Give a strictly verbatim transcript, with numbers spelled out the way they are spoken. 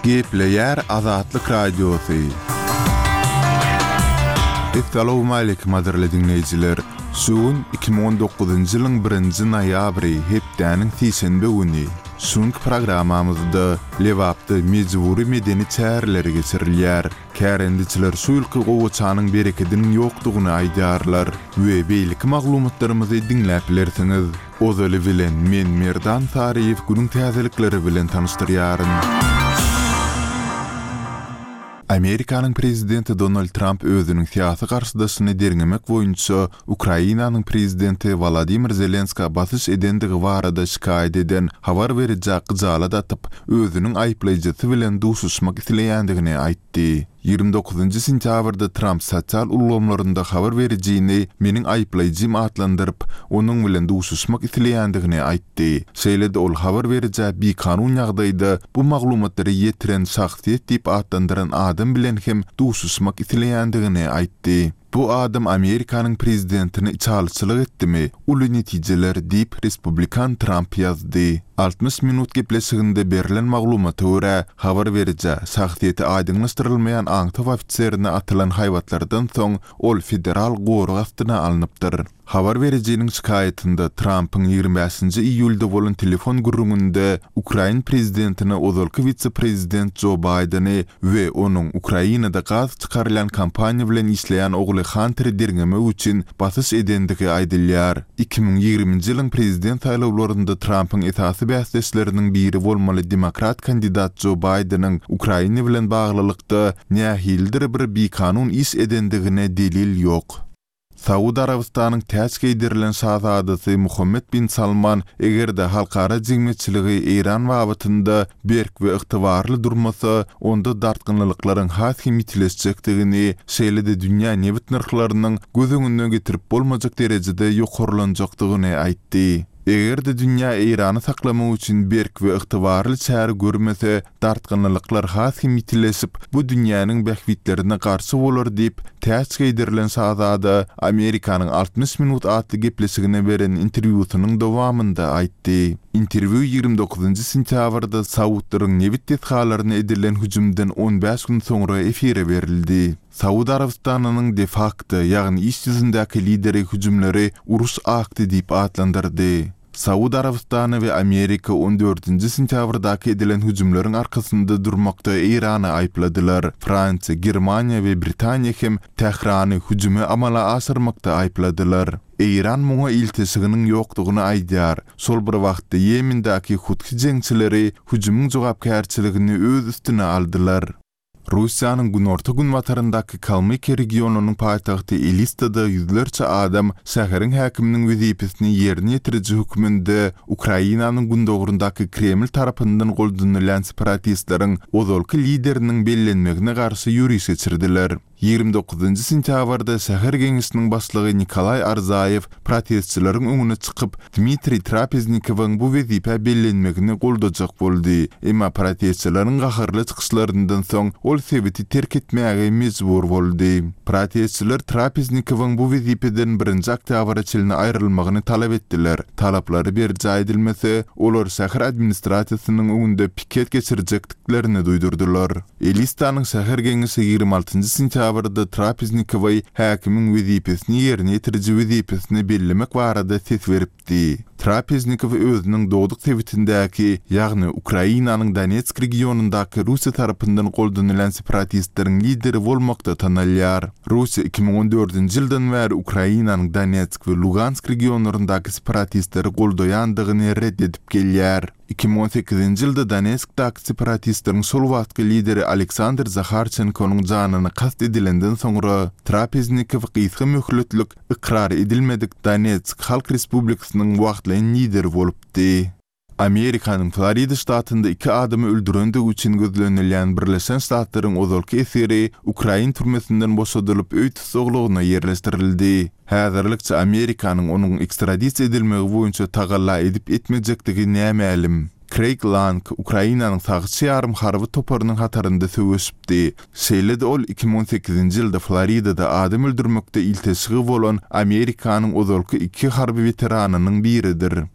Gepleýär Azatlyk Radiosy. Essalawmaleýkim gadyrly diňleýjiler! Şu gün iki müň on dokuzynjy ýylyň birinji noýabry, hepdäniň sişenbe güni. Şu günki programmamyzda Lebapda mejbury medeni çäreler geçirilýär. Kärendeçiler şu ýylky gowaçanyň berekediniň ýokdugyny aýdýarlar we beýleki maglumatlarymyzy diňläp bilersiňiz. Ozaly bilen men Merdan Saryýew günüň täzelikleri bilen tanyşdyrýaryn. Amerikanyň prezidenti Donald Tramp özüniň syýasy garşydaşyny derňemek boýunça Ukrainanyň prezidenti Wolodymyr Zelenskä basyş edendigi barada şikaýat eden habar berijä gyjalat atyp, özüniň aýyplaýjysy bilen duşuşmak isleýändigini aýtdy. Ýigrimi dokuzynjy sentýabrda Tramp sosial ulgamlarynda habar berijini meniň aýyplaýjym atlandyryp, onuň bilen duşuşmak isleýändigini aýtdy. Şeýle-de ol habar berijä bikanun ýagdaýda bu maglumatlary ýetiren şahsyýet diýip atlandyran adam bilen hem duşuşmak isleýändigini aýtdy. Bu adam Amerikanyň prezidentine içalyçylyk etdimi? Uly netijeler diýip, respublikan Tramp ýazdy. Altmyş minut gepleşiginde berlen maglumata görä, habar berijä şahsyýeti aýdyňlaşdyrylmaýan aňtaw ofiserine atylan haýbatlardan soň ol federal gorag astyna alnypdyr. Habar berijiniň şikaýatynda Trampyň ýigrimi bäşinji iýulda bolan telefon gürrüňinde Ukrain prezidentine ozalky wise-prezident Jo Baýdeni we onuň Ukrainada gaz çykarylýan kompaniýa bilen işleýän ogly Hanteri derňemek üçin basyş edendigi aýdylýar. Iki müň ýigriminji ýylyň prezident saýlawlarynda Trampyň esasy bäsdeşleriniň biri bolmaly demokrat kandidat Jo Baýdeniň Ukraina bilen baglylykda nähilidir bir bikanun iş edendigine delil ýok. Saud Arabystanyň täç geýdirilen şazadasy Muhammed bin Salman eger-de halkara jemgyýetçiligi Eýran babatynda berk we ygtybarly durmasa, onda dartgynlyklaryň has hem ýitileşjekdigini, şeýle-de dünýä nebit nyrhlarynyň göz öňüne getirip bolmajak derejede ýokarlanjakdygyny aýtdy. Eger-de dünýä Eýrany saklamak üçin berk we ygtybarly çäre görmese, dartgynlyklar has hem ýitileşip, bu dünýäniň bähbitlerine garşy bolar diýip, täç geýdirilen şazada Amerikanyň altmyş minut atly gepleşigine beren interwýusynyň dowamynda aýtdy. Interwýu ýigrimi dokuzynjy sentýabrda Saudlaryň nebit desgalaryna edilen hüjümden on bäş gün soňra efire berildi. Saud Arabystanynyň de facto, ýagny iş ýüzündäki lideri hüjümleri uruş akty diýip atlandyrdy. Saud Arabystany we Amerika on dördünji sentýabrdaky edilen hüjümleriň arkasynda durmakda Eýrany aýypladylar. Fransiýa, Germaniýa we Britaniýa hem Tährany hüjümi amala aşyrmakda aýypladylar. Eýran muňa ilteşiginiň ýokdugyny aýdýar. Şol bir wagtda Ýemendäki Huthy jeňçileri hüjümiň jogapkärçiligini öz üstüne aldylar. Russiýanyň günorta-günbataryndaky Kalmykiýa regionynyň paýtagty Elistada ýüzlerçe adam şäheriň häkiminiň wezipesini ýerine ýetiriji hökmünde Ukrainanyň gündogaryndaky Kreml tarapyndan goldanylýan separatistleriň ozalky lideriniň bellenmegine garşy ýöriş geçirdiler. Ýigrimi dokuzynjy sentýabrda şäher geňeşiniň başlygy Nikolaý Arzaýew protestçileriň öňüne çykyp, Dmitriý Trapeznikowyň bu wezipä bellenmegini goldajak boldy. Emma protestçileriň gaharly çykyşlaryndan soň ol sebiti terk etmäge mejbur boldy. Protestçiler Trapeznikowyň bu wezipeden birinji oktýabra çenli aýrylmagyny talap etdiler. Talaplary berjaý edilmese, olar şäher administrasiýasynyň öňünde piket geçirjekdiklerini duýdurdylar. Elistanyň şäher geňeşi ýigrimi altynjy sentýabrda Trapeznikowy häkimiň wezipesini ýerine ýetiriji wezipesine bellemek barada ses beripdi. Trapeznikow özüniň dogduk sebitindäki, ýagny Ukrainanyň Donetsk regionyndaky Russiýa tarapyndan goldanylýan separatistleriň lideri bolmakda tanalýar. Russiýa iki müň on dördünji ýyldan bäri Ukrainanyň Donetsk we Lugansk regionlaryndaky separatistleri goldaýandygyny red edip gelýär. Iki müň on sekizinji ýylda Donetskdaky separatistleriň şol wagtky lideri Aleksandr Zaharçenkonyň janyna kast edilenden soňra Trapeznikow gysga möhletlik ykrar edilmedik Donetsk Halk Respublikasynyň wagtlaýyn lideri bolupdy. Amerikanyň Florida ştatynda iki adamy öldürendigi üçin gözlenilýän Birleşen Ştatlaryň ozalky esgeri Ukrain türmesinden boşadylyp öý tussaglygyna ýerleşdirildi. Häzirlikçe Amerikanyň onuň ekstradisiýa edilmegi boýunça tagalla edip etmejekdigi nämälim. Craig Lang Ukrainanyň sagçy ýarym harby toparynyň hatarynda söweşipdi. Şeýle-de ol iki müň on sekizinji ýylda Floridada adam öldürmekde ilteşigi bolan Amerikanyň ozalky iki harby weteranynyň biridir.